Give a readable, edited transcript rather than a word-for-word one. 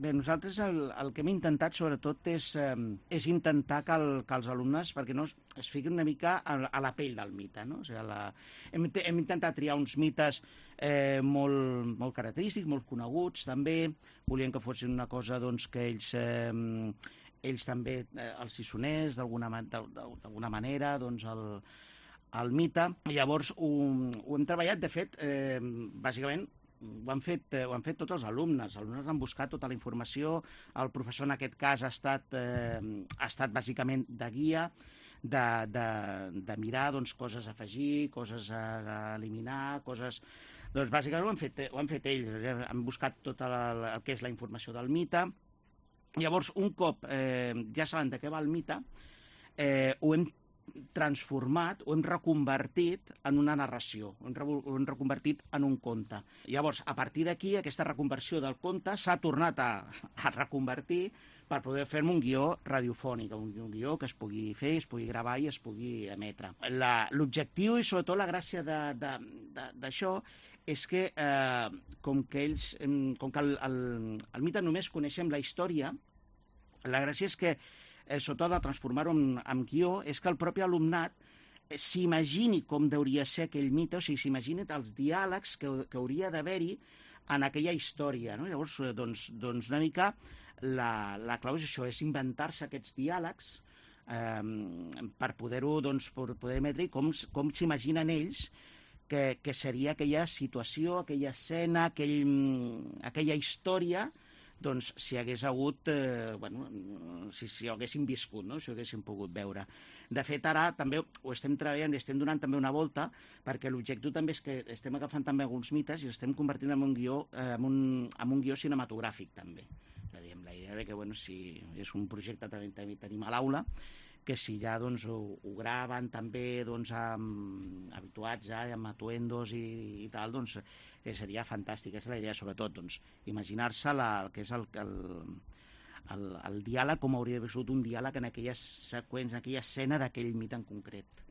Bé, nosaltres el que hem intentat, sobretot, és intentar que els alumnes, perquè no es fiquin una mica a la pell del mite, no? O sigui, hem intentat triar uns mites molt característics, molt coneguts, també. Volíem que fossin una cosa doncs, que ells també els hi sonés d'alguna manera, doncs, el mite. Llavors, ho hem treballat, de fet, bàsicament, ho han fet tots els alumnes. Els alumnes han buscat tota la informació. El professor, en aquest cas, ha estat bàsicament de guia, de mirar doncs, coses a afegir, coses a eliminar, coses... Doncs bàsicament ho han fet ells. Han buscat tota el que és la informació del mite. Llavors, un cop ja saben de què va el mite, ho hem transformat, ho hem reconvertit en una narració, ho hem reconvertit en un conte. Llavors, a partir d'aquí, aquesta reconversió del conte s'ha tornat a reconvertir per poder fer-me un guió radiofònic, un guió que es pugui fer, es pugui gravar i es pugui emetre. L'objectiu i sobretot la gràcia d'això és que, com que el mite només coneixem la història, la gràcia és que sobretot de transformar-ho en guió, és que el propi alumnat s'imagini com hauria ser aquell mite, o sigui, s'imagini els diàlegs que hauria d'haver-hi en aquella història, no? Llavors, doncs una mica la clau és això, és inventar-se aquests diàlegs per poder-ho, doncs, per poder emetre com s'imaginen ells que seria aquella situació, aquella escena, aquella història, doncs si hagués hagut, si ho haguéssim viscut, no? Si ho haguéssim pogut veure. De fet, ara també ho estem treballant i estem donant també una volta, perquè l'objectiu també és que estem agafant també alguns mites i els estem convertint en un guió cinematogràfic, també. És a dir, amb la idea de que, si és un projecte que tenim a l'aula, que si ja doncs, ho graven també doncs, habituats ja amb atuendos i tal, doncs que seria fantàstic. Aquesta és la idea, sobretot, doncs, imaginar-se que és el diàleg, com hauria d'haver sigut un diàleg en aquella seqüència, en aquella escena d'aquell mite en concret.